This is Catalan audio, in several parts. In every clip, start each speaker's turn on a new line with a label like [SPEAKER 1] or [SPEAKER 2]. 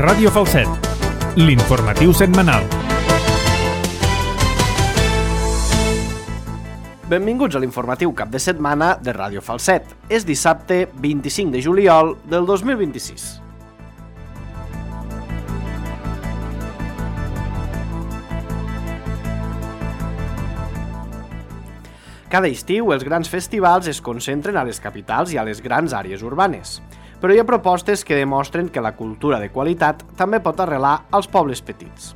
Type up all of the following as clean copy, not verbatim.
[SPEAKER 1] Ràdio Falset, l'informatiu setmanal.
[SPEAKER 2] Benvinguts a l'informatiu cap de setmana de Ràdio Falset. És dissabte 25 de juliol del 2026. Cada estiu els grans festivals es concentren a les capitals i a les grans àrees urbanes. Però hi ha propostes que demostren que la cultura de qualitat també pot arrelar als pobles petits.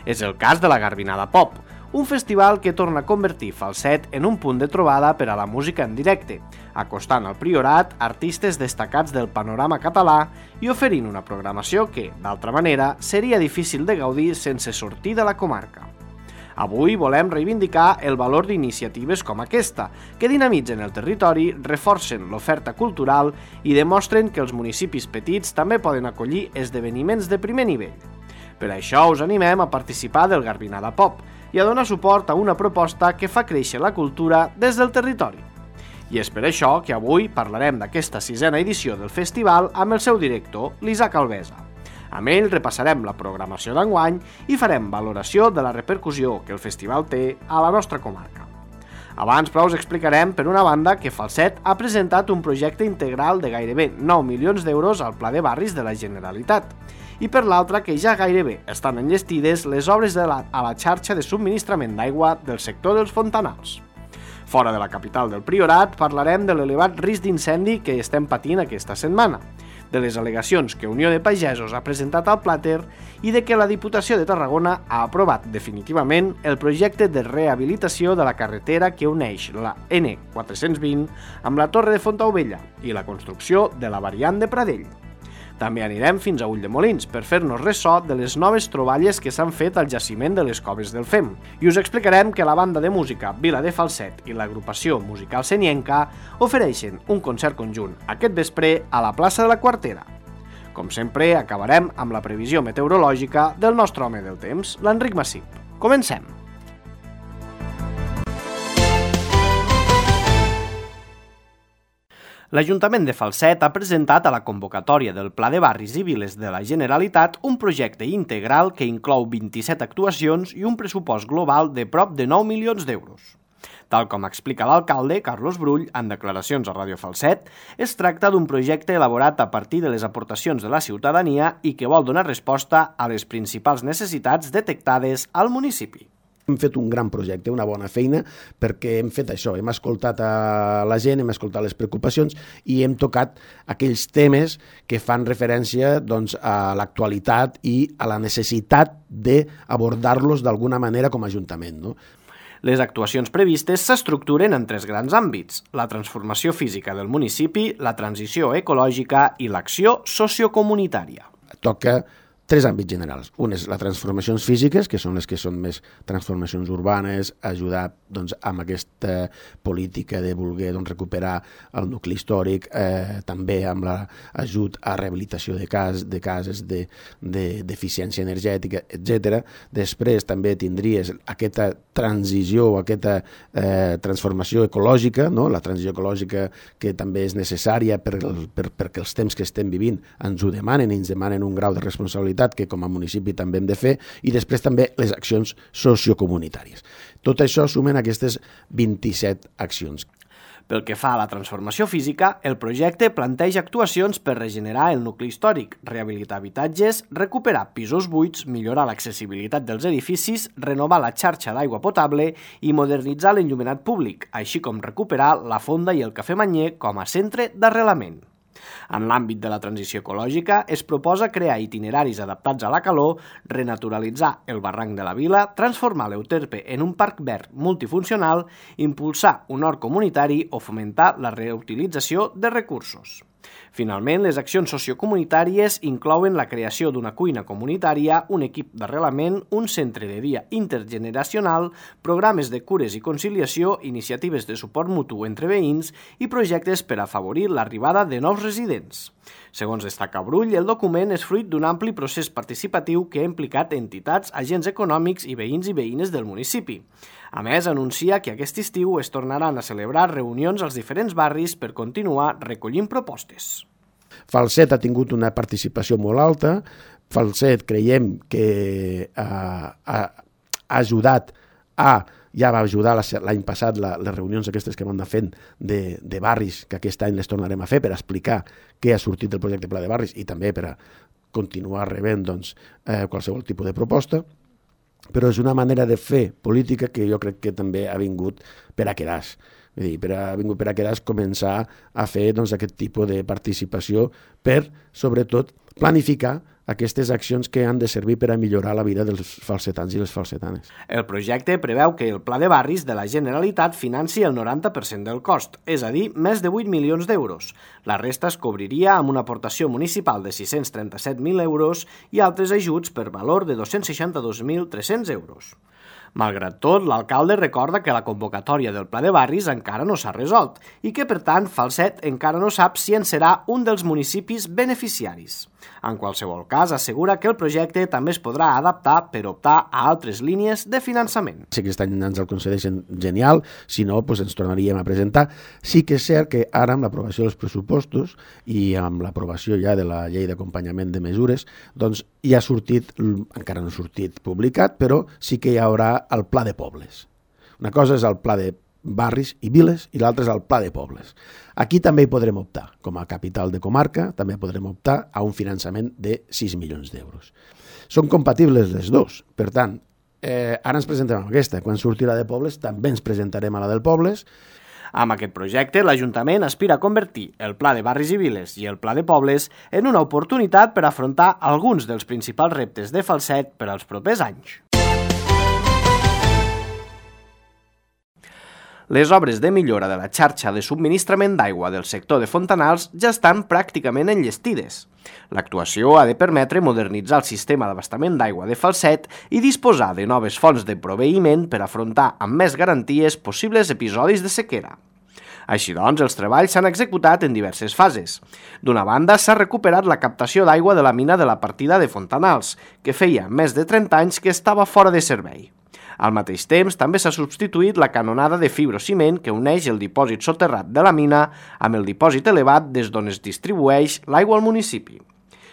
[SPEAKER 2] És el cas de la Garbinada Pop, un festival que torna a convertir Falset en un punt de trobada per a la música en directe, acostant al Priorat artistes destacats del panorama català i oferint una programació que, d'altra manera, seria difícil de gaudir sense sortir de la comarca. Avui volem reivindicar el valor d'iniciatives com aquesta, que dinamitzen el territori, reforcen l'oferta cultural i demostren que els municipis petits també poden acollir esdeveniments de primer nivell. Per això us animem a participar del Garbinada Pop i a donar suport a una proposta que fa créixer la cultura des del territori. I és per això que avui parlarem d'aquesta 6ª edició del festival amb el seu director, l'Isaac Alvesa. Amb ell repassarem la programació d'enguany i farem valoració de la repercussió que el festival té a la nostra comarca. Abans, però, us explicarem, per una banda, que Falset ha presentat un projecte integral de gairebé 9 milions d'euros al Pla de Barris de la Generalitat, i per l'altra que ja gairebé estan enllestides les obres a la xarxa de subministrament d'aigua del sector dels fontanals. Fora de la capital del Priorat, parlarem de l'elevat risc d'incendi que estem patint aquesta setmana, de les al·legacions que Unió de Pagesos ha presentat al Plàter i de que la Diputació de Tarragona ha aprovat definitivament el projecte de rehabilitació de la carretera que uneix la N420 amb la Torre de Fontaubella i la construcció de la variant de Pradell. També anirem fins a Ulldemolins per fer-nos ressò de les noves troballes que s'han fet al jaciment de les Coves del Fem i us explicarem que la banda de música Vila de Falset i l'agrupació musical Senienca ofereixen un concert conjunt aquest vespre a la plaça de la Quartera. Com sempre, acabarem amb la previsió meteorològica del nostre home del temps, l'Enric Massip. Comencem! L'Ajuntament de Falset ha presentat a la convocatòria del Pla de Barris i Viles de la Generalitat un projecte integral que inclou 27 actuacions i un pressupost global de prop de 9 milions d'euros. Tal com explica l'alcalde, Carlos Brull, en declaracions a Ràdio Falset, es tracta d'un projecte elaborat a partir de les aportacions de la ciutadania i que vol donar resposta a les principals necessitats detectades al municipi.
[SPEAKER 3] Hem fet un gran projecte, una bona feina, perquè hem fet això, hem escoltat a la gent, hem escoltat les preocupacions i hem tocat aquells temes que fan referència a l'actualitat i a la necessitat d'abordar-los d'alguna manera com a Ajuntament, no?
[SPEAKER 2] Les actuacions previstes s'estructuren en 3 grans àmbits: la transformació física del municipi, la transició ecològica i l'acció sociocomunitària.
[SPEAKER 3] Toca 3 àmbits generals. Un és les transformacions físiques, que són les que són més transformacions urbanes, ajudar amb aquesta política de voler recuperar el nucli històric, també amb l'ajut a rehabilitació de cases d'eficiència energètica, etc. Després també tindries aquesta transició, aquesta transformació ecològica, no? La transició ecològica que també és necessària perquè els temps que estem vivint ens ho demanen i ens demanen un grau de responsabilitat que com a municipi també hem de fer, i després també les accions sociocomunitàries. Tot això sumen aquestes 27 accions.
[SPEAKER 2] Pel que fa a la transformació física, el projecte planteja actuacions per regenerar el nucli històric, rehabilitar habitatges, recuperar pisos buits, millorar l'accessibilitat dels edificis, renovar la xarxa d'aigua potable i modernitzar l'enllumenat públic, així com recuperar la fonda i el cafè Manyer com a centre d'arrelament. En l'àmbit de la transició ecològica, es proposa crear itineraris adaptats a la calor, renaturalitzar el barranc de la vila, transformar l'Euterpe en un parc verd multifuncional, impulsar un hort comunitari o fomentar la reutilització de recursos. Finalment, les accions sociocomunitàries inclouen la creació d'una cuina comunitària, un equip d'arrelament, un centre de dia intergeneracional, programes de cures i conciliació, iniciatives de suport mutu entre veïns i projectes per afavorir l'arribada de nous residents. Segons destaca Brull, el document és fruit d'un ampli procés participatiu que ha implicat entitats, agents econòmics i veïns i veïnes del municipi. A més, anuncia que aquest estiu es tornaran a celebrar reunions als diferents barris per continuar recollint propostes.
[SPEAKER 3] Falset ha tingut una participació molt alta, Falset creiem que ha ajudat ja va ajudar l'any passat les reunions aquestes que vam anar fent de barris, que aquest any les tornarem a fer per explicar què ha sortit del projecte Pla de Barris i també per a continuar rebent qualsevol tipus de proposta, però és una manera de fer política que jo crec que també ha vingut per a quedar-se. Ha vingut per a quedar-se començar a fer aquest tipus de participació per, sobretot, planificar aquestes accions que han de servir per a millorar la vida dels falsetans i les falsetanes.
[SPEAKER 2] El projecte preveu que el Pla de Barris de la Generalitat financi el 90% del cost, és a dir, més de 8 milions d'euros. La resta es cobriria amb una aportació municipal de 637.000 euros i altres ajuts per valor de 262.300 euros. Malgrat tot, l'alcalde recorda que la convocatòria del Pla de Barris encara no s'ha resolt i que, per tant, Falset encara no sap si en serà un dels municipis beneficiaris. En qualsevol cas, assegura que el projecte també es podrà adaptar per optar a altres línies de finançament.
[SPEAKER 3] Si aquest any ens el concedeixen, genial, si no, ens tornaríem a presentar. Sí que és cert que ara, amb l'aprovació dels pressupostos i amb l'aprovació ja de la llei d'acompanyament de mesures, ja ha sortit, encara no ha sortit publicat, però sí que hi haurà el Pla de Pobles. Una cosa és el Pla de Barris i Viles i l'altra és el Pla de Pobles. Aquí també hi podrem optar. Com a capital de comarca també podrem optar a un finançament de 6 milions d'euros. Són compatibles les dos. Per tant, ara ens presentem amb aquesta. Quan surti la de Pobles també ens presentarem a la del Pobles.
[SPEAKER 2] Amb aquest projecte, l'Ajuntament aspira a convertir el Pla de Barris i Viles i el Pla de Pobles en una oportunitat per afrontar alguns dels principals reptes de Falset per als propers anys. Les obres de millora de la xarxa de subministrament d'aigua del sector de Fontanals ja estan pràcticament enllestides. L'actuació ha de permetre modernitzar el sistema d'abastament d'aigua de Falset i disposar de noves fonts de proveïment per afrontar amb més garanties possibles episodis de sequera. Així doncs, els treballs s'han executat en diverses fases. D'una banda, s'ha recuperat la captació d'aigua de la mina de la partida de Fontanals, que feia més de 30 anys que estava fora de servei. Al mateix temps, també s'ha substituït la canonada de fibrociment que uneix el dipòsit soterrat de la mina amb el dipòsit elevat des d'on es distribueix l'aigua al municipi.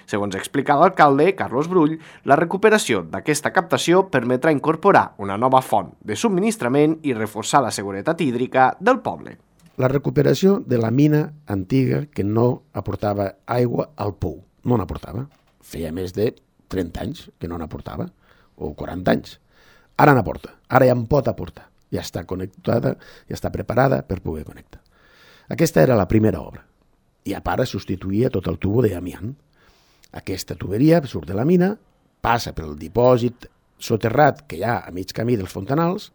[SPEAKER 2] Segons explica l'alcalde, Carlos Brull, la recuperació d'aquesta captació permetrà incorporar una nova font de subministrament i reforçar la seguretat hídrica del poble.
[SPEAKER 3] La recuperació de la mina antiga que no aportava aigua al pou. No n'aportava. Feia més de 30 anys que no n'aportava, o 40 anys. Ara n'aporta, ara ja en pot aportar. Ja està connectada, ja està preparada per poder connectar. Aquesta era la primera obra. I a part substituïa tot el tubo d'amiant. Aquesta tuberia surt de la mina, passa pel dipòsit soterrat que hi ha a mig camí dels Fontanals,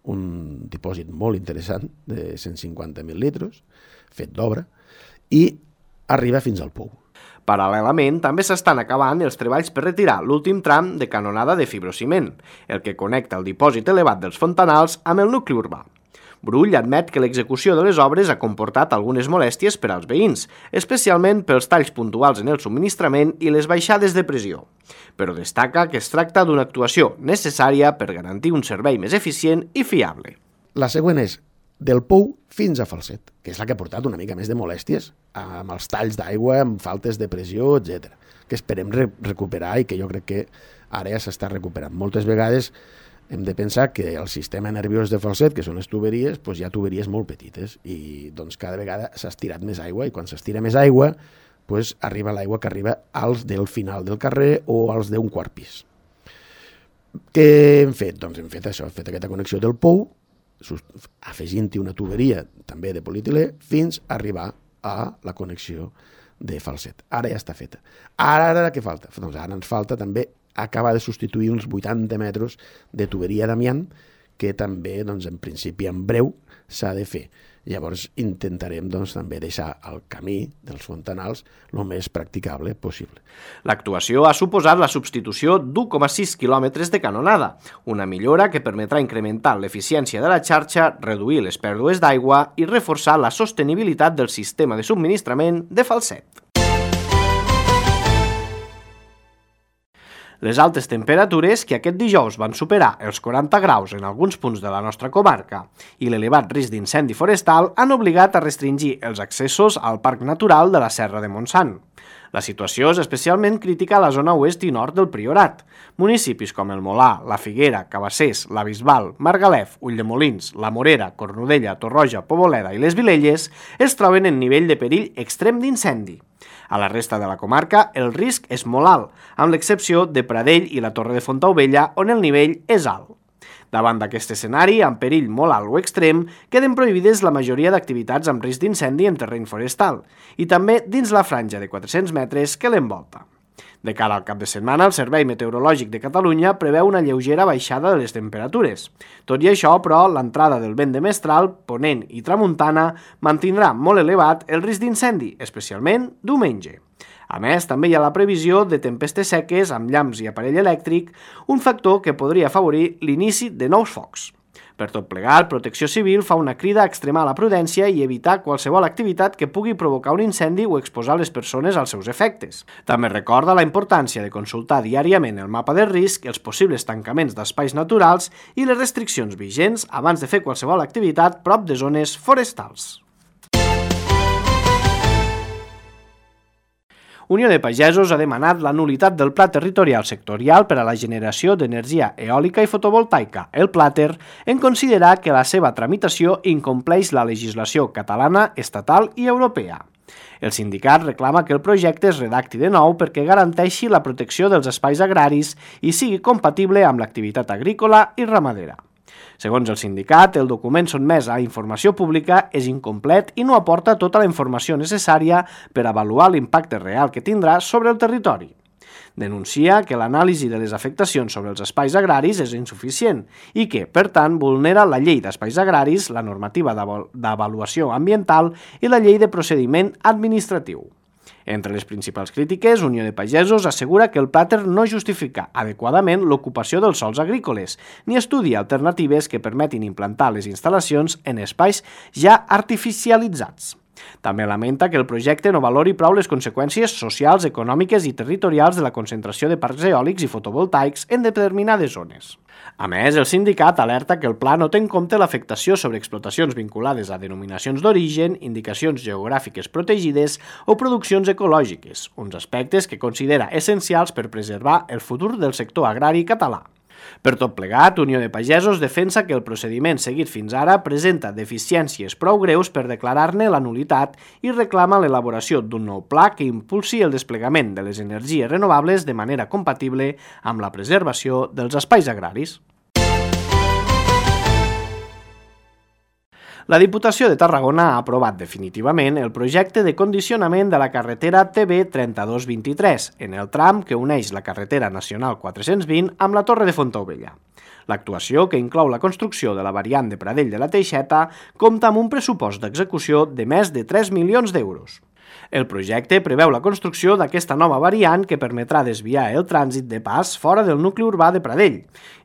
[SPEAKER 3] un dipòsit molt interessant de 150.000 litres, fet d'obra, i arriba fins al pou.
[SPEAKER 2] Paral·lelament, també s'estan acabant els treballs per retirar l'últim tram de canonada de fibrociment, el que connecta el dipòsit elevat dels Fontanals amb el nucli urbà. Brull admet que l'execució de les obres ha comportat algunes molèsties per als veïns, especialment pels talls puntuals en el subministrament i les baixades de pressió, però destaca que es tracta d'una actuació necessària per garantir un servei més eficient i fiable.
[SPEAKER 3] La següent és del pou fins a Falset, que és la que ha portat una mica més de molèsties amb els talls d'aigua, amb faltes de pressió, etc. que esperem recuperar i que jo crec que ara ja s'està recuperant. Moltes vegades hem de pensar que el sistema nerviós de Falset, que són les tuberies, hi ha tuberies molt petites i cada vegada s'ha estirat més aigua i quan s'estira més aigua arriba l'aigua que arriba als del final del carrer o als d'un quart pis. Què hem fet? Doncs hem fet això, hem fet aquesta connexió del pou, afegint-hi una tuberia també de polietilè fins a arribar a la connexió de Falset. Ara ja està feta. Ara què falta? Doncs ara ens falta també acabar de substituir uns 80 metres de tuberia d'amiant que també, en principi, en breu s'ha de fer. Llavors intentarem també deixar el camí dels Fontanals el més practicable possible.
[SPEAKER 2] L'actuació ha suposat la substitució d'1,6 quilòmetres de canonada, una millora que permetrà incrementar l'eficiència de la xarxa, reduir les pèrdues d'aigua i reforçar la sostenibilitat del sistema de subministrament de Falset. Les altes temperatures, que aquest dijous van superar els 40 graus en alguns punts de la nostra comarca, i l'elevat risc d'incendi forestal han obligat a restringir els accessos al Parc Natural de la Serra de Montsant. La situació és especialment crítica a la zona oest i nord del Priorat. Municipis com el Molar, la Figuera, Cabassers, la Bisbal, Margalef, Ulldemolins, la Morera, Cornudella, Torroja, Poboleda i les Vilelles es troben en nivell de perill extrem d'incendi. A la resta de la comarca, el risc és molt alt, amb l'excepció de Pradell i la Torre de Fontaubella, on el nivell és alt. Davant d'aquest escenari, amb perill molt alt o extrem, queden prohibides la majoria d'activitats amb risc d'incendi en terreny forestal i també dins la franja de 400 metres que l'envolta. De cara al cap de setmana, el Servei Meteorològic de Catalunya preveu una lleugera baixada de les temperatures. Tot i això, però, l'entrada del vent de mestral, ponent i tramuntana mantindrà molt elevat el risc d'incendi, especialment diumenge. A més, també hi ha la previsió de tempestes seques amb llamps i aparell elèctric, un factor que podria afavorir l'inici de nous focs. Per tot plegat, Protecció Civil fa una crida a extremar la prudència i evitar qualsevol activitat que pugui provocar un incendi o exposar les persones als seus efectes. També recorda la importància de consultar diàriament el mapa de risc, els possibles tancaments d'espais naturals i les restriccions vigents abans de fer qualsevol activitat prop de zones forestals. Unió de Pagesos ha demanat la nul·litat del Pla Territorial Sectorial per a la generació d'energia eòlica i fotovoltaica, el PLATER, en considerar que la seva tramitació incompleix la legislació catalana, estatal i europea. El sindicat reclama que el projecte es redacti de nou perquè garanteixi la protecció dels espais agraris i sigui compatible amb l'activitat agrícola i ramadera. Segons el sindicat, el document sotmès a informació pública és incomplet i no aporta tota la informació necessària per avaluar l'impacte real que tindrà sobre el territori. Denuncia que l'anàlisi de les afectacions sobre els espais agraris és insuficient i que, per tant, vulnera la llei d'espais agraris, la normativa d'avaluació ambiental i la llei de procediment administratiu. Entre les principals crítiques, Unió de Pagesos assegura que el PLATER no justifica adequadament l'ocupació dels sòls agrícoles, ni estudia alternatives que permetin implantar les instal·lacions en espais ja artificialitzats. També lamenta que el projecte no valori prou les conseqüències socials, econòmiques i territorials de la concentració de parcs eòlics i fotovoltaics en determinades zones. A més, el sindicat alerta que el pla no té en compte l'afectació sobre explotacions vinculades a denominacions d'origen, indicacions geogràfiques protegides o produccions ecològiques, uns aspectes que considera essencials per preservar el futur del sector agrari català. Per tot plegat, Unió de Pagesos defensa que el procediment seguit fins ara presenta deficiències prou greus per declarar-ne la nul·litat i reclama l'elaboració d'un nou pla que impulsi el desplegament de les energies renovables de manera compatible amb la preservació dels espais agraris. La Diputació de Tarragona ha aprovat definitivament el projecte de condicionament de la carretera TB 3223 en el tram que uneix la carretera nacional 420 amb la Torre de Fontaubella. L'actuació, que inclou la construcció de la variant de Pradell de la Teixeta, compta amb un pressupost d'execució de més de 3 milions d'euros. El projecte preveu la construcció d'aquesta nova variant que permetrà desviar el trànsit de pas fora del nucli urbà de Pradell.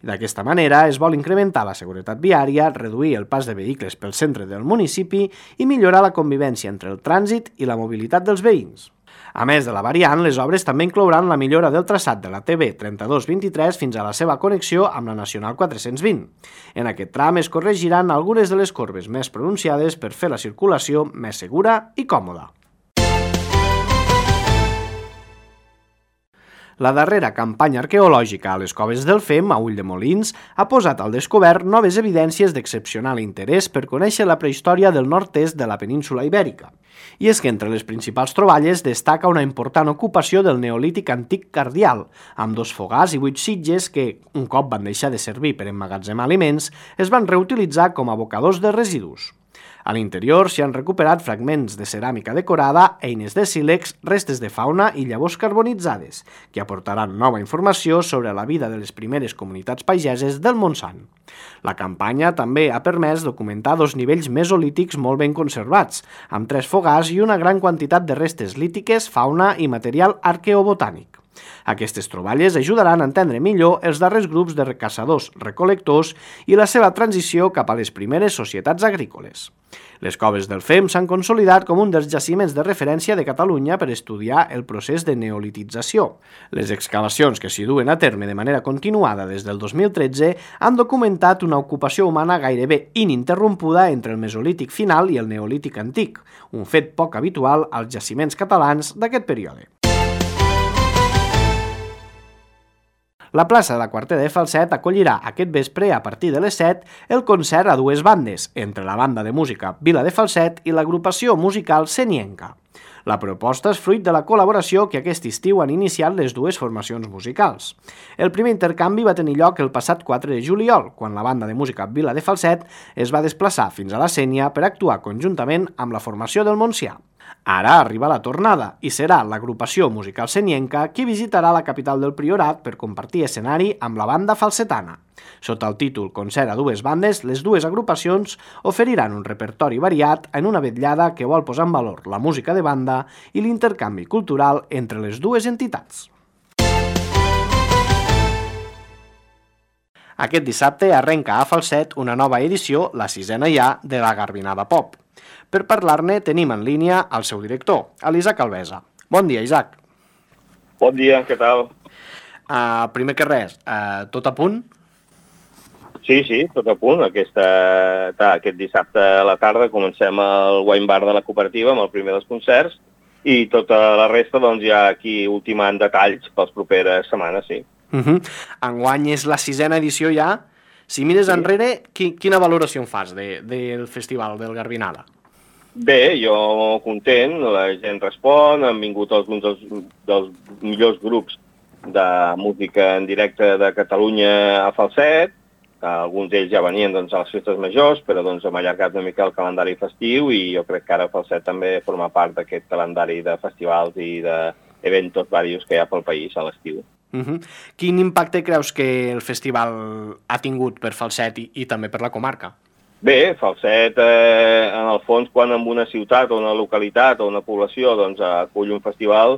[SPEAKER 2] D'aquesta manera es vol incrementar la seguretat viària, reduir el pas de vehicles pel centre del municipi i millorar la convivència entre el trànsit i la mobilitat dels veïns. A més de la variant, les obres també inclouran la millora del traçat de la TB 3223 fins a la seva connexió amb la Nacional 420. En aquest tram es corregiran algunes de les corbes més pronunciades per fer la circulació més segura i còmoda. La darrera campanya arqueològica a les coves del Fem, a Ulldemolins, ha posat al descobert noves evidències d'excepcional interès per conèixer la prehistòria del nord-est de la península Ibèrica. I és que entre les principals troballes destaca una important ocupació del neolític antic cardial, amb 2 fogars i 8 sitges que, un cop van deixar de servir per emmagatzemar aliments, es van reutilitzar com a abocadors de residus. A l'interior s'hi han recuperat fragments de ceràmica decorada, eines de sílex, restes de fauna i llavors carbonitzades, que aportaran nova informació sobre la vida de les primeres comunitats pageses del Montsant. La campanya també ha permès documentar 2 nivells mesolítics molt ben conservats, amb 3 fogars i una gran quantitat de restes lítiques, fauna i material arqueobotànic. Aquestes troballes ajudaran a entendre millor els darrers grups de caçadors-recol·lectors i la seva transició cap a les primeres societats agrícoles. Les coves del Fem s'han consolidat com un dels jaciments de referència de Catalunya per estudiar el procés de neolitització. Les excavacions que s'hi duen a terme de manera continuada des del 2013 han documentat una ocupació humana gairebé ininterrompuda entre el Mesolític final i el Neolític antic, un fet poc habitual als jaciments catalans d'aquest període. La plaça de la Quartera de Falset acollirà aquest vespre, a partir de les 7, el concert a dues bandes, entre la banda de música Vila de Falset i l'agrupació musical Senienca. La proposta és fruit de la col·laboració que aquest estiu han iniciat les dues formacions musicals. El primer intercanvi va tenir lloc el passat 4 de juliol, quan la banda de música Vila de Falset es va desplaçar fins a la Sénia per actuar conjuntament amb la formació del Montsià. Ara arriba la tornada i serà l'agrupació musical senienca qui visitarà la capital del Priorat per compartir escenari amb la banda falsetana. Sota el títol Concert a dues bandes, les dues agrupacions oferiran un repertori variat en una vetllada que vol posar en valor la música de banda i l'intercanvi cultural entre les dues entitats. Aquest dissabte arrenca a Falset una nova edició, la 6a ja, de la Garbinada Pop. Per parlar-ne tenim en línia el seu director, l'Isaac Alvesa. Bon dia, Isaac.
[SPEAKER 4] Bon dia, què tal?
[SPEAKER 2] Primer que res, tot a punt?
[SPEAKER 4] Sí, tot a punt. Aquest dissabte a la tarda comencem el wine bar de la cooperativa amb el primer dels concerts i tota la resta doncs ja aquí ultimant detalls pels properes setmanes, sí.
[SPEAKER 2] Enguany és la 6a edició ja. Si mires enrere, quina valoració en fas del festival del Garbinada?
[SPEAKER 4] Bé, jo content, la gent respon, han vingut alguns dels millors grups de música en directe de Catalunya a Falset, alguns d'ells ja venien a les festes majors, però hem allargat una mica el calendari festiu i jo crec que ara Falset també forma part d'aquest calendari de festivals i d'eventos diversos que hi ha pel país a l'estiu.
[SPEAKER 2] Quin impacte creus que el festival ha tingut per Falset i també per la comarca?
[SPEAKER 4] Bé, Falset, en el fons, quan en una ciutat o una localitat o una població acull un festival,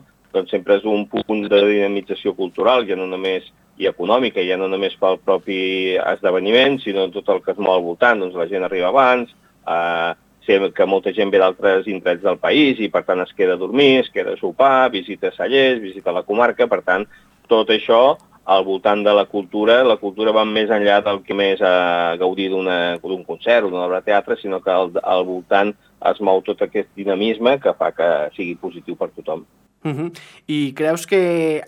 [SPEAKER 4] sempre és un punt de dinamització cultural, ja no només i econòmica, ja no només pel propi esdeveniment, sinó tot el que es mou al voltant. La gent arriba abans, sé que molta gent ve d'altres indrets del país i per tant es queda a dormir, es queda a sopar, visita cellers, visita la comarca, per tant, tot això al voltant de la cultura va més enllà del que més gaudir d'un concert o d'una obra de teatre, sinó que al voltant es mou tot aquest dinamisme que fa que sigui positiu per tothom.
[SPEAKER 2] I creus que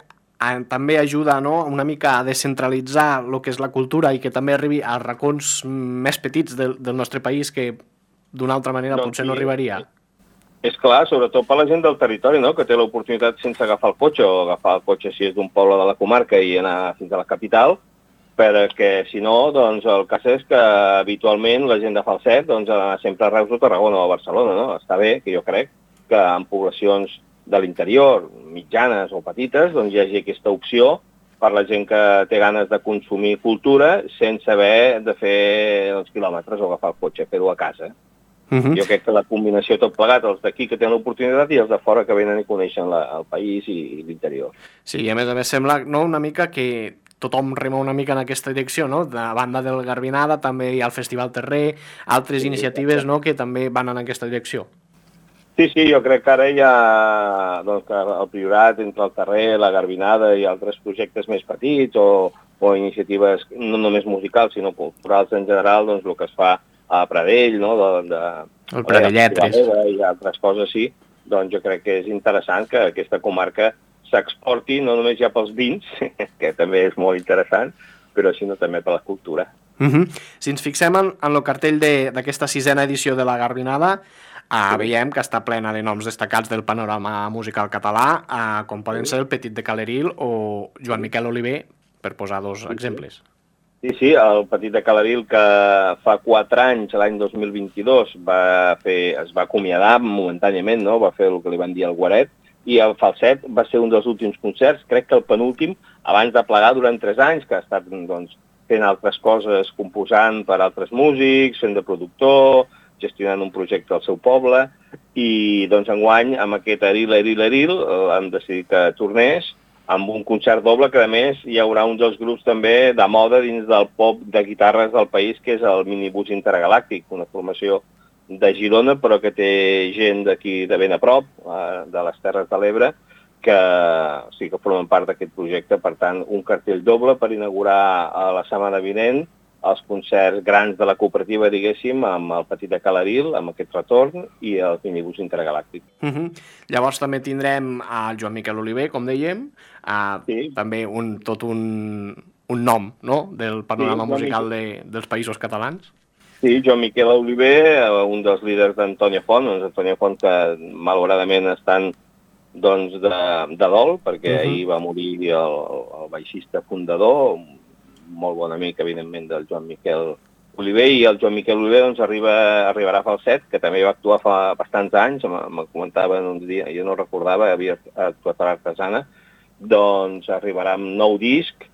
[SPEAKER 2] també ajuda una mica a descentralitzar el que és la cultura i que també arribi als racons més petits del nostre país que d'una altra manera potser no arribaria?
[SPEAKER 4] És clar, sobretot per la gent del territori, que té l'oportunitat sense agafar el cotxe o agafar el cotxe si és d'un poble de la comarca i anar fins a la capital, perquè si no, el cas és que habitualment la gent de Falset sempre a Reus o Tarragona o a Barcelona. Està bé, que jo crec, que en poblacions de l'interior, mitjanes o petites, hi hagi aquesta opció per la gent que té ganes de consumir cultura sense haver de fer quilòmetres o agafar el cotxe, fer-ho a casa. Jo crec que la combinació tot plegat, els d'aquí que tenen l'oportunitat i els de fora que venen i coneixen el país i l'interior.
[SPEAKER 2] Sí, i a més sembla una mica que tothom rema una mica en aquesta direcció, de banda del Garbinada, també hi ha el Festival Terrer, altres iniciatives que també van en aquesta direcció.
[SPEAKER 4] Sí, jo crec que ara hi ha el Priorat entre el Terrer, la Garbinada i altres projectes més petits o iniciatives no només musicals sinó culturals en general, el que es fa a Pradell,
[SPEAKER 2] el Pradelletres
[SPEAKER 4] i altres coses, sí. Jo crec que és interessant que aquesta comarca s'exporti no només ja pels vins, que també és molt interessant, però sinó també per la cultura.
[SPEAKER 2] Si ens fixem en el cartell d'aquesta 6a edició de la Garbinada, veiem que està plena de noms destacats del panorama musical català, com poden ser el Petit de Caleril o Joan Miquel Oliver, per posar dos exemples.
[SPEAKER 4] Sí, el Petit de Caleril, que fa 4 anys, l'any 2022, es va acomiadar momentàniament, va fer el que li van dir al Guaret, i el Falset va ser un dels últims concerts, crec que el penúltim, abans de plegar durant 3 anys, que ha estat fent altres coses, composant per altres músics, fent de productor, gestionant un projecte al seu poble, i enguany, amb aquest Eril, han decidit que tornés amb un concert doble que, a més, hi haurà un dels grups també de moda dins del pop de guitarres del país, que és el Minibús Intergalàctic, una formació de Girona, però que té gent d'aquí de ben a prop, de les Terres de l'Ebre, que sí que formen part d'aquest projecte. Per tant, un cartell doble per inaugurar la setmana vinent els concerts grans de la cooperativa, diguéssim, amb el Petit de Calaril, amb aquest retorn, i el Minibús Intergalàctic.
[SPEAKER 2] Llavors també tindrem el Joan Miquel Oliver, com dèiem, també tot un nom, no?, del panorama musical dels Països Catalans.
[SPEAKER 4] Sí, Joan Miquel Oliver, un dels líders d'Antònia Font, Antònia Font que malauradament estan de dol, perquè ahir va morir el baixista fundador, molt bon amic, evidentment, del Joan Miquel Oliver, i el Joan Miquel Oliver arribarà a Falset, que també va actuar fa bastants anys, me comentaven uns dies, jo no recordava, havia actuat a l'Artesana, doncs arribarà amb nou disc,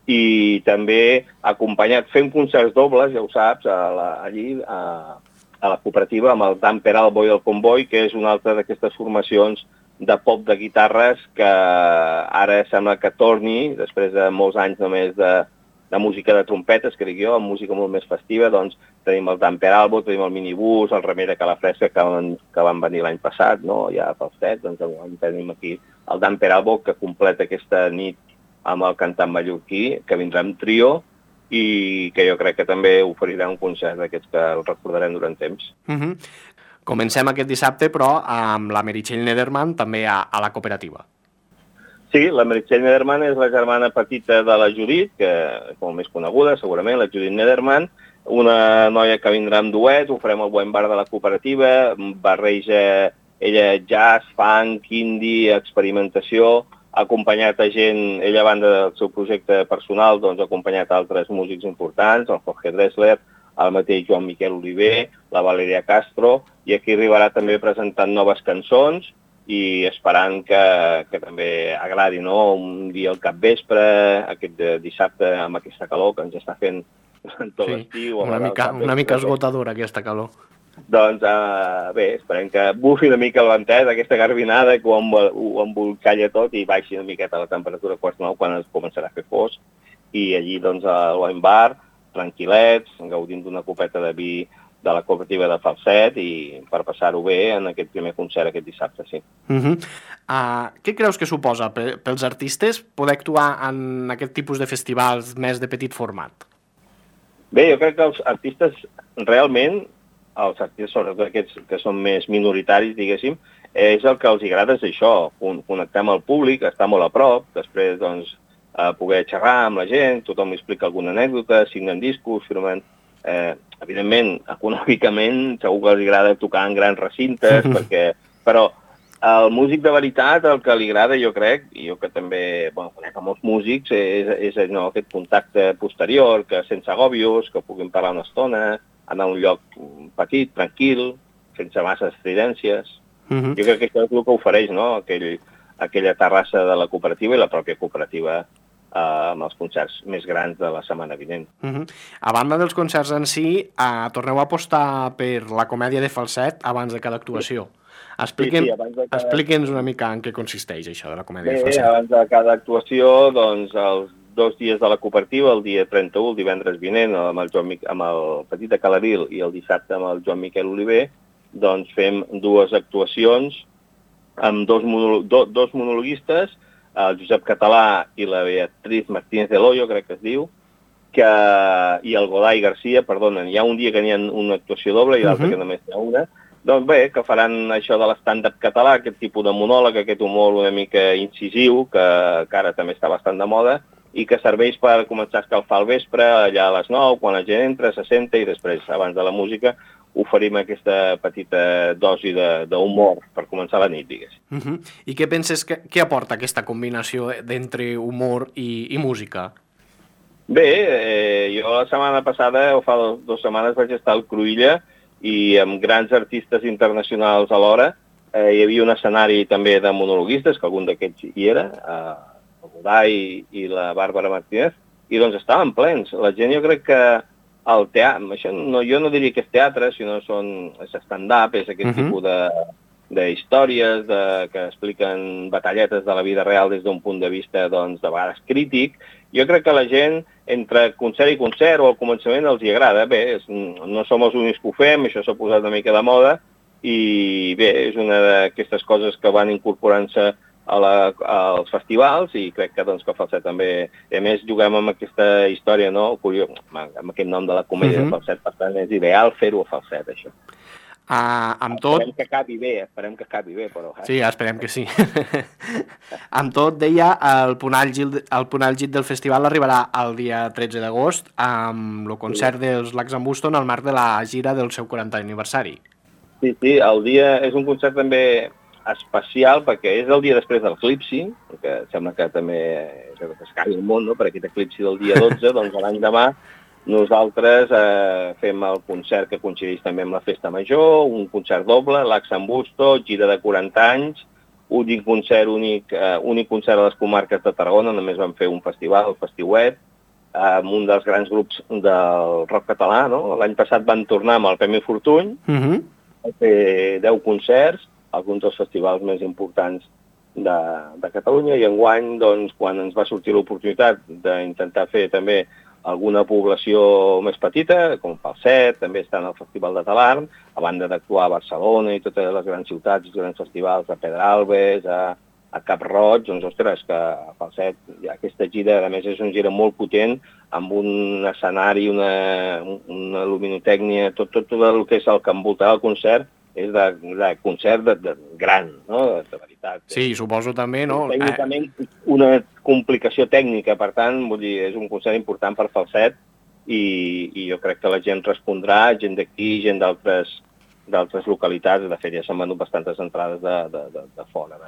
[SPEAKER 4] i també acompanyat, fent concerts dobles, ja ho saps, allí a la cooperativa, amb el Dan Peralbo i el Comboi, que és una altra d'aquestes formacions de pop de guitarres que ara sembla que torni, després de molts anys només de música de trompetes, que dic jo, amb música molt més festiva. Doncs tenim el Dan Peralbo, tenim el Minibús, el Remei de Calafresca, que van venir l'any passat, no?, ja pel set, doncs tenim aquí el Dan Peralbo, que completa aquesta nit amb el cantant mallorquí, que vindrà amb trio, i que jo crec que també oferirà un concert d'aquests que el recordarem durant temps.
[SPEAKER 2] Comencem aquest dissabte, però amb la Meritxell Nederman també a la cooperativa.
[SPEAKER 4] Sí, la Meritxell Nederman és la germana petita de la Judit, que és molt més coneguda, segurament, la Judit Nederman, una noia que vindrà amb duet, ho farem al Wine Bar de la cooperativa, barreja ella jazz, funk, indie, experimentació, ha acompanyat a gent, ella a banda del seu projecte personal, doncs ha acompanyat altres músics importants, el Jorge Dressler, el mateix Joan Miquel Oliver, la Valeria Castro, i aquí arribarà també presentant noves cançons, i esperant que també agradi, no?, un dia al capvespre, aquest dissabte amb aquesta calor que ens està fent tot l'estiu.
[SPEAKER 2] Una mica esgotadora aquesta calor.
[SPEAKER 4] Doncs bé, esperem que bufi una mica el ventet, aquesta garbinada, que ho embolcalla tot i baixi una miqueta la temperatura a 8:45 quan es començarà a fer fosc, i allí doncs al Wine Bar, tranquil·lets, gaudint d'una copeta de vi de la cooperativa de Falset, i per passar-ho bé en aquest primer concert aquest dissabte, sí.
[SPEAKER 2] Què creus que suposa pels artistes poder actuar en aquest tipus de festivals més de petit format?
[SPEAKER 4] Bé, jo crec que els artistes realment, els artistes sobretot aquests que són més minoritaris, diguéssim, és el que els agrada, és això, connectar amb el públic, estar molt a prop, després doncs poder xerrar amb la gent, tothom li explica alguna anècdota, signen discos, firmen... Evidentment, econòmicament, segur que els agrada tocar en grans recintes, però el músic de veritat, el que li agrada, jo crec, i jo que també conec a molts músics, és aquest contacte posterior, que sense agòbios, que puguin parlar una estona, anar a un lloc petit, tranquil, sense massa estridències. Jo crec que això és el que ofereix, no?, aquella terrassa de la cooperativa i la pròpia cooperativa amb els concerts més grans de la setmana vinent.
[SPEAKER 2] A banda dels concerts en si, torneu a apostar per la comèdia de falset abans de cada actuació. Expliqui'ns una mica en què consisteix això de la comèdia de falset.
[SPEAKER 4] Abans de cada actuació, doncs, els 2 dies de la cooperativa, el dia 31, el divendres vinent, amb el Petit de Calaril, i el dissabte amb el Joan Miquel Oliver, doncs fem 2 actuacions amb 2 monologuistes, el Josep Català i la Beatriz Martínez de Loyo, crec que es diu, i el Godai Garcia, perdonen, hi ha un dia que n'hi ha una actuació doble i l'altre que només n'hi ha una. Doncs bé, que faran això de l'estàndard català, aquest tipus de monòleg, aquest humor una mica incisiu, que ara també està bastant de moda, i que serveix per començar a escalfar al vespre, allà a les 9, quan la gent entra, se senta, i després, abans de la música, oferim aquesta petita dosi d'humor per començar la nit, diguéssim.
[SPEAKER 2] I què penses, què aporta aquesta combinació d'entre humor i música?
[SPEAKER 4] Bé, jo la setmana passada, o fa 2 setmanes, vaig estar al Cruïlla, i amb grans artistes internacionals alhora. Hi havia un escenari també de monologuistes, que algun d'aquests hi era, el Godai i la Bàrbara Martínez, i doncs estaven plens. La gent, jo crec que el teatre, això jo no diria que és teatre, sinó és stand-up, és aquest tipus d'històries que expliquen batalletes de la vida real des d'un punt de vista, doncs, de vegades crític. Jo crec que la gent, entre concert i concert, o al començament els hi agrada. Bé, no som els únics que ho fem, això s'ha posat una mica de moda, i bé, és una d'aquestes coses que van incorporant-se als festivals, i crec que, doncs, que Falset també... A més, juguem amb aquesta història, no? Amb aquest nom de la comèdia de Falset, per tant, és ideal fer-ho a Falset, això.
[SPEAKER 2] Amb tot...
[SPEAKER 4] Esperem que acabi bé, però...
[SPEAKER 2] Sí, esperem que sí. Amb tot, deia, el punt àlgid del festival arribarà el dia 13 d'agost amb el concert dels Lacs en Boston al marc de la gira del seu 40 aniversari.
[SPEAKER 4] Sí, el dia és un concert també especial perquè és el dia després de l'eclipsi, que sembla que també es caigui el món, no? Per aquest eclipsi del dia 12, doncs l'any demà nosaltres fem el concert que coincideix també amb la Festa Major, un concert doble, Lacs en Boston, gira de 40 anys, únic concert a les comarques de Tarragona, només vam fer un festival, el Festiuet, amb un dels grans grups del rock català, no? L'any passat van tornar amb el Premi Fortuny, a fer 10 concerts, alguns dels festivals més importants de Catalunya, i enguany, doncs, quan ens va sortir l'oportunitat d'intentar fer també alguna població més petita, com Falset, també està en el Festival de Talarn, a banda d'actuar a Barcelona i totes les grans ciutats, els grans festivals, a Pedralbes, a Cap Roig, doncs, ostres, que a Falset hi ha aquesta gira, a més és una gira molt potent, amb un escenari, una luminotècnia, tot el que és el que envoltarà el concert, és de concert gran, no? De veritat.
[SPEAKER 2] Sí, suposo també, no?
[SPEAKER 4] Tècnicament una complicació tècnica, per tant, vull dir, és un concert important per Falset i jo crec que la gent respondrà, gent d'aquí, gent d'altres localitats, de fet ja s'han venut bastantes entrades de fora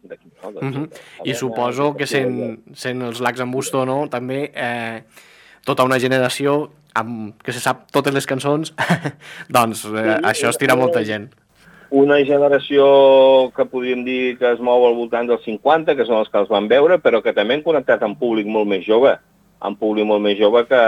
[SPEAKER 4] d'aquí, no?
[SPEAKER 2] I suposo que sent els Lacs en Boston, no? També tota una generació que se sap totes les cançons, doncs això estira molta gent.
[SPEAKER 4] Una generació que podríem dir que es mou al voltant dels 50, que són els que els van veure, però que també han connectat amb públic molt més jove, que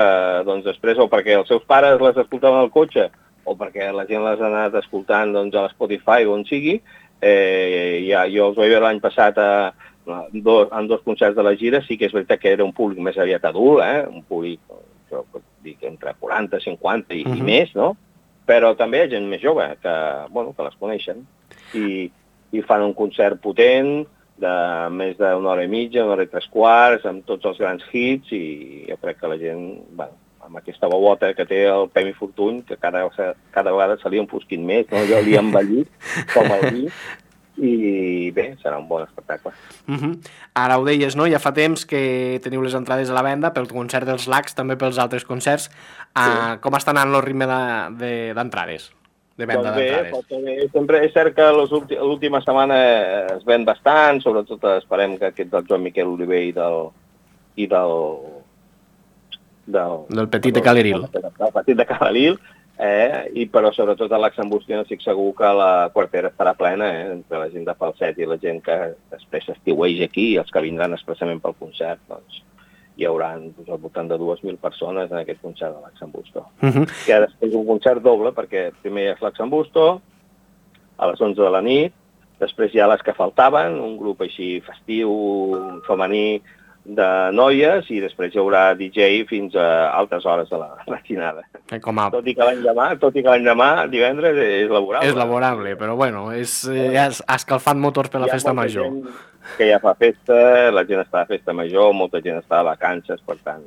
[SPEAKER 4] doncs, després, o perquè els seus pares les escoltaven al cotxe, o perquè la gent les ha anat escoltant doncs, a l'Spotify o on sigui. Jo els vaig veure l'any passat en dos concerts de la gira, sí que és veritat que era un públic més aviat adult, un públic, jo pot dir que entre 40, 50 i més, no? Però també hi ha gent més jove que les coneixen i fan un concert potent de més d'una hora i mitja, una hora i 3/4, amb tots els grans hits, i jo crec que la gent, amb aquesta bobota que té el Premi Fortuny, que cada vegada se li enfosquint més, no? Jo li he envellit com el vi, i bé, serà un bon espectacle.
[SPEAKER 2] Ara ho deies, no? Ja fa temps que teniu les entrades a la venda pel concert dels Lacs, també pels altres concerts. Com està anant el ritme d'entrades? De venda d'entrades?
[SPEAKER 4] Bé, sempre és cert que l'última setmana es ven bastant, sobretot esperem que aquest del Joan Miquel Oliver i
[SPEAKER 2] del Petit de Caleril.
[SPEAKER 4] Del Petit de Caleril, però sobretot a Lacs en Boston estic segur que la quartera estarà plena, entre la gent de Falset i la gent que després s'estiueix aquí, i els que vindran expressament pel concert, doncs hi haurà al voltant de 2.000 persones en aquest concert de Lacs en Boston. Que després un concert doble, perquè primer hi ha Lacs en Boston, a les 11 de la nit, després hi ha les que faltaven, un grup així festiu, femení, de noies, i després hi haurà DJ fins a altes hores de la matinada. Tot i que l'any demà, divendres, és laborable.
[SPEAKER 2] És laborable, però bueno, és escalfant motors per la festa major.
[SPEAKER 4] Que ja fa festa, la gent està a festa major, molta gent està a vacances, per tant...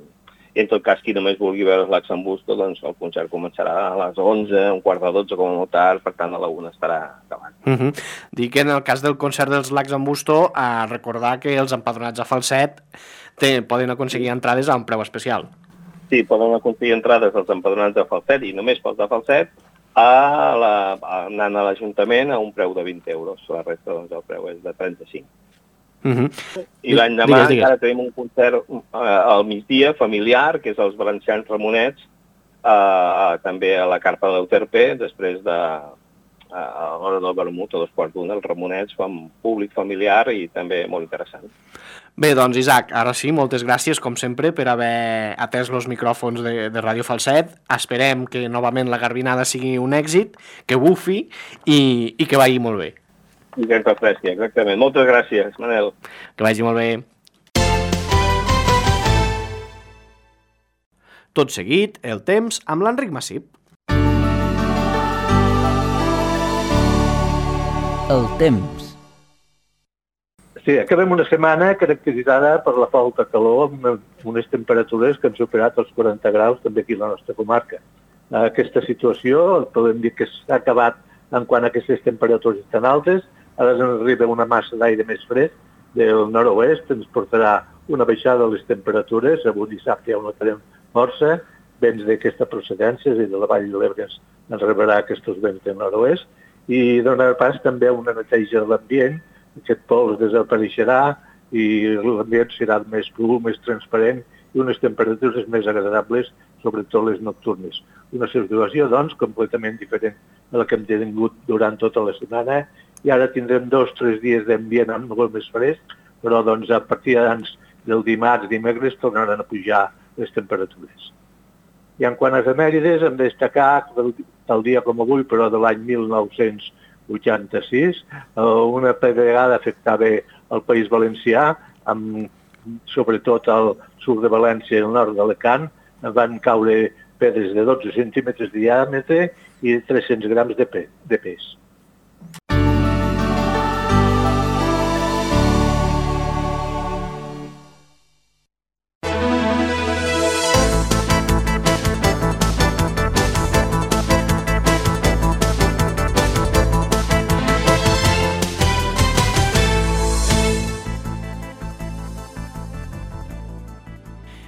[SPEAKER 4] I en tot cas, qui només vulgui veure els Lacs en Boston, doncs el concert començarà a les 11, un quart de 12 com a molt tard, per tant a la 1 estarà acabant.
[SPEAKER 2] Dic que en el cas del concert dels Lacs en Boston, a recordar que els empadronats a Falset poden aconseguir entrades a un preu especial.
[SPEAKER 4] Sí, poden aconseguir entrades als empadronats de Falset, i només pels de Falset, anant a l'Ajuntament a un preu de 20 euros. La resta, doncs, el preu és de 35. I l'any demà encara tenim un concert al migdia familiar, que és els Valencians Ramonets, també a la Carpa de l'Euterpe, després de l'hora del vermut, a 2:15, els Ramonets fan públic familiar i també molt interessant.
[SPEAKER 2] Bé, doncs Isaac, ara sí, moltes gràcies com sempre per haver atès els micròfons de Ràdio Falset. Esperem que novament la Garbinada sigui un èxit, que bufi i que vagi molt bé.
[SPEAKER 4] I que ens refresqui, exactament. Moltes gràcies, Manel.
[SPEAKER 2] Que vagi molt bé. Tot seguit, el temps amb l'Enric Massip.
[SPEAKER 5] El temps.
[SPEAKER 6] Sí, acabem una setmana caracteritzada per la falta de calor amb unes temperatures que han superat els 40 graus també aquí a la nostra comarca. Aquesta situació podem dir que s'ha acabat en quant a aquestes temperatures tan altes. Ara ens arriba una massa d'aire més fresc del nord-oest, ens portarà una baixada de les temperatures. Avui dissabte ja ho notarem força, vents d'aquesta procedència, és a dir, de la Vall de l'Ebre ens rebrà aquests vents del nord-oest, i donarà pas també a una neteja de l'ambient. Aquest pols desapareixerà i l'ambient serà més pur, més transparent i unes temperatures més agradables, sobretot les nocturnes. Una situació, doncs, completament diferent de la que hem tingut durant tota la setmana, i ara tindrem 2 o 3 dies d'ambient molt més fresc, però doncs, a partir del dimarts, dimecres, tornaran a pujar les temperatures. I en quant a efemèrides, hem de destacar el dia com avui, però de l'any 1986, una pedregada afectava el País Valencià, sobretot al sud de València i al nord d'Alacant. Van caure pedres de 12 centímetres de diàmetre i 300 grams de pes.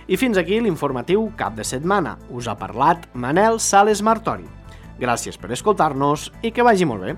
[SPEAKER 2] I fins aquí l'informatiu cap de setmana. Us ha parlat Manel Sales Martori. Gràcies per escoltar-nos i que vagi molt bé.